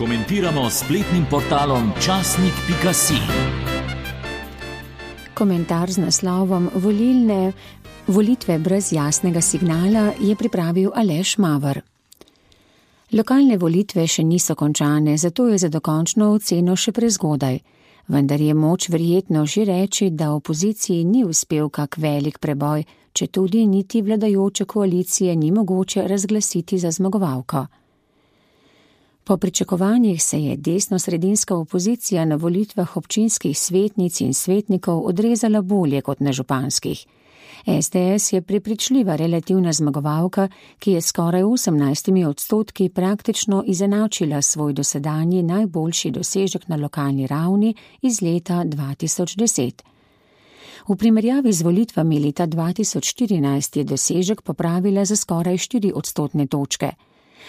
Komentiramo s spletnim portalom časnik.si. Komentar z naslovom Volitve brez jasnega signala je pripravil Aleš Maver. Lokalne volitve še niso končane, zato je za dokončno oceno še prezgodaj. Vendar je moč verjetno že reči, da opoziciji ni uspel kak velik preboj, četudi niti vladajoče koalicije ni mogoče razglasiti za zmagovalko. Po pričakovanjih se je desno-sredinska opozicija na volitvah občinskih svetnic in svetnikov odrezala bolje kot na županskih. SDS je prepričljiva relativna zmagovalka, ki je skoraj 18% praktično izenačila svoj dosedanji najboljši dosežek na lokalni ravni iz leta 2010. V primerjavi z volitvami leta 2014 je dosežek popravila za skoraj 4% točke.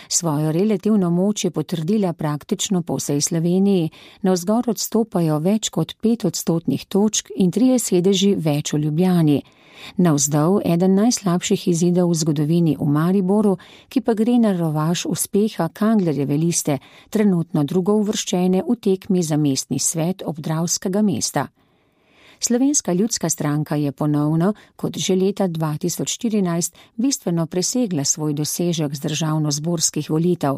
Svojo relativno moč je potrdila praktično po vsej Sloveniji, navzgor odstopajo več kot 5% točk in 3 sedeži več v Ljubljani. Navzdol eden najslabših izidov v zgodovini v Mariboru, ki pa gre na rovaš uspeha Kanglerjeve liste, trenutno drugo uvrščene v tekmi za mestni svet obdravskega mesta. Slovenska ljudska stranka je ponovno, kot že leta 2014, bistveno presegla svoj dosežek z državnozborskih volitev.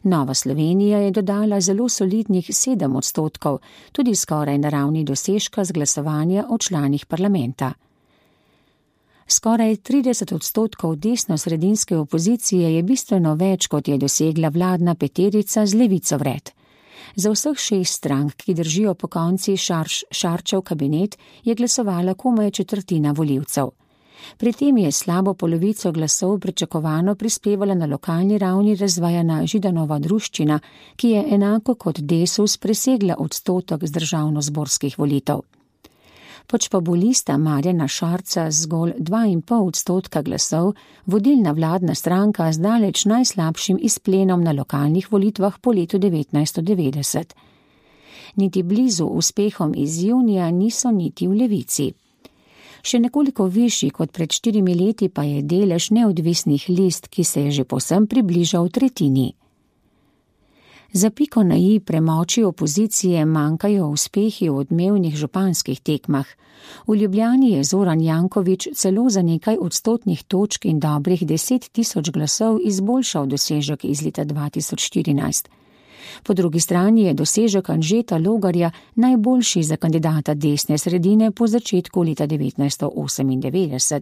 Nova Slovenija je dodala zelo solidnih 7%, tudi skoraj na ravni dosežka z glasovanja o članih parlamenta. Skoraj 30% desno-sredinske opozicije je bistveno več, kot je dosegla vladna peterica z Levico vred. Za vseh 6 strank, ki držijo po konci Šarčev kabinet, je glasovala komaj četrtina volivcev. Pri tem je slabo polovico glasov pričakovano prispevala na lokalni ravni razvajana Židanova druščina, ki je enako kot Desus presegla odstotek z državnozborskih volitev. Počpobulista Marjana Šarca z zgolj 2,5% glasov, vodilna vladna stranka z daleč najslabšim izplenom na lokalnih volitvah po letu 1990. Niti blizu uspehom iz junija niso niti v Levici. Še nekoliko višji kot pred 4 leti pa je delež neodvisnih list, ki se je že povsem približal tretjini. Za piko na i premoči opozicije manjkajo uspehi v odmevnih županskih tekmah. V Ljubljani je Zoran Janković celo za nekaj odstotnih točk in dobrih 10.000 glasov izboljšal dosežek iz leta 2014. Po drugi strani je dosežek Anžeta Logarja najboljši za kandidata desne sredine po začetku leta 1998.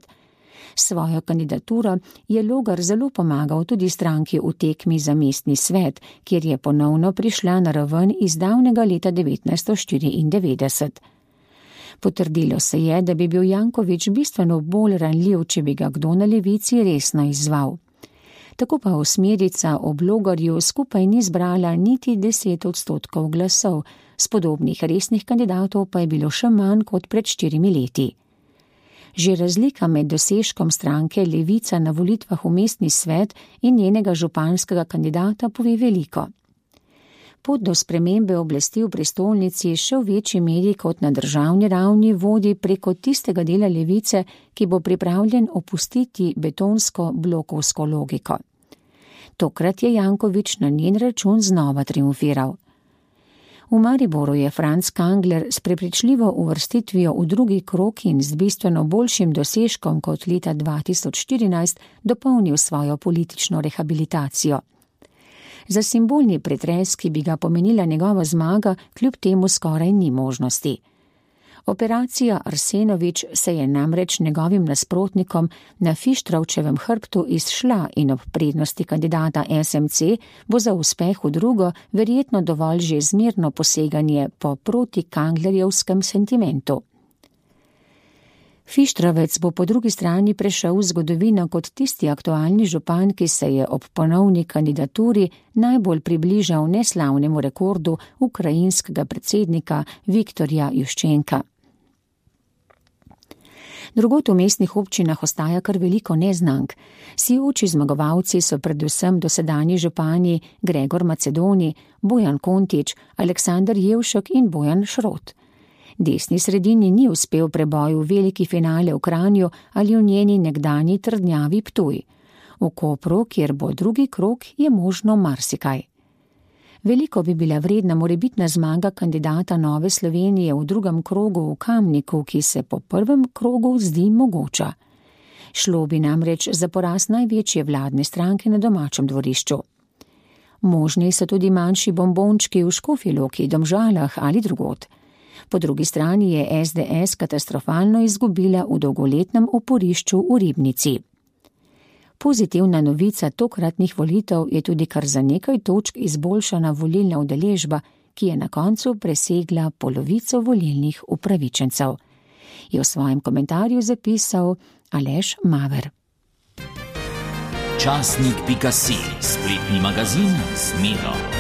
Svojo kandidaturo je Logar zelo pomagal tudi stranki v tekmi za mestni svet, kjer je ponovno prišla na raven iz davnega leta 1994. Potrdilo se je, da bi bil Janković bistveno bolj ranljiv, če bi ga kdo na levici resno izzval. Tako pa osmerica ob Logarju skupaj ni zbrala niti 10% glasov, s podobnih resnih kandidatov pa je bilo še manj kot pred 4 leti. Že razlika med dosežkom stranke Levica na volitvah v mestni svet in njenega županskega kandidata pove veliko. Pot do spremembe oblasti v prestolnici še v večji meri kot na državni ravni vodi preko tistega dela Levice, ki bo pripravljen opustiti betonsko blokovsko logiko. Tokrat je Janković na njen račun znova triumfiral. V Mariboru je Franc Kangler s prepričljivo uvrstitvijo v drugi krog in z bistveno boljšim dosežkom kot leta 2014 dopolnil svojo politično rehabilitacijo. Za simbolni pretres, ki bi ga pomenila njegova zmaga, kljub temu skoraj ni možnosti. Operacija Arsenović se je namreč njegovim nasprotnikom na Fištravčevem hrbtu izšla in ob prednosti kandidata SMC bo za uspeh v drugo verjetno dovolj že zmerno poseganje po protikanglerjevskem sentimentu. Fištravec bo po drugi strani prešel v zgodovino kot tisti aktualni župan, ki se je ob ponovni kandidaturi najbolj približal neslavnemu rekordu ukrajinskega predsednika Viktorja Juščenka. Drugod v mestnih občinah ostaja kar veliko neznank. Sijoči zmagovalci so predvsem dosedanji župani Gregor Macedoni, Bojan Kontič, Aleksander Jevšek in Bojan Šrot. Desni sredini ni uspel preboj v veliki finale v Kranju ali v njeni nekdanji trdnjavi Ptuj. V Kopru, kjer bo drugi krog, je možno marsikaj. Veliko bi bila vredna morebitna zmaga kandidata Nove Slovenije v drugem krogu v Kamniku, ki se po prvem krogu zdi mogoča. Šlo bi namreč za poraz največje vladne stranke na domačem dvorišču. Možni so tudi manjši bombončki v Škofji Loki, Domžalah ali drugod. Po drugi strani je SDS katastrofalno izgubila v dolgoletnem oporišču v Ribnici. Pozitivna novica tokratnih volitev je tudi kar za nekaj točk izboljšana volilna udeležba, ki je na koncu presegla polovico volilnih upravičencev, je v svojem komentarju zapisal Aleš Maver. Časnik.si, spletni magazin z Miro.